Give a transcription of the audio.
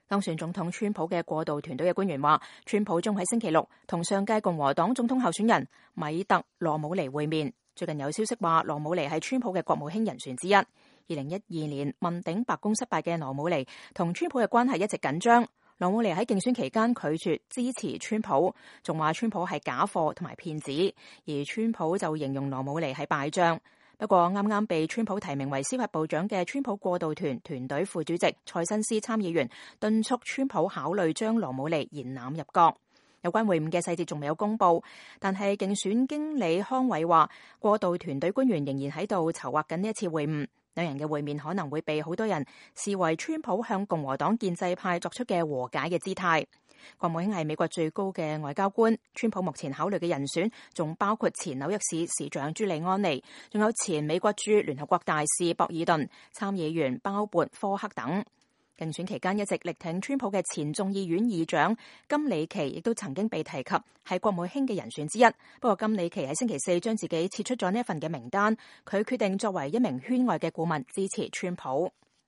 當選總統川普嘅過渡團隊嘅官員話，川普將喺星期六同上屆共和黨總統候選人米特羅姆尼會面。最近有消息話，羅姆尼係川普嘅國務卿人選之一。2012年問鼎白宮失敗嘅羅姆尼同川普嘅關係一直緊張。羅姆尼喺競選期間拒絕支持川普，仲話川普係假貨同埋騙子，而川普就形容羅姆尼係敗將。不過啱啱被川普提名為司法部長嘅川普過渡團隊副主席蔡新斯參議員敦促川普考慮將羅姆尼延攬入閣。有關會晤嘅細節仲未有公布，但係競選經理康偉話，過渡團隊官員仍然喺度籌劃緊呢一次會晤。兩人嘅會面可能會被好多人視為川普向共和黨建制派作出嘅和解嘅姿態。國務卿係美國最高嘅外交官，川普目前考慮嘅人選仲包括前紐約市市長朱利安尼，仲有前美國駐聯合國大使博爾頓、參議員鮑勃科克等。競選期間一直力挺川普嘅前眾議院議長金里奇亦都曾經被提及係國務卿嘅人選之一。不過金里奇喺星期四將自己撤出咗呢一份嘅名單，佢決定作為一名圈外嘅顧問支持川普。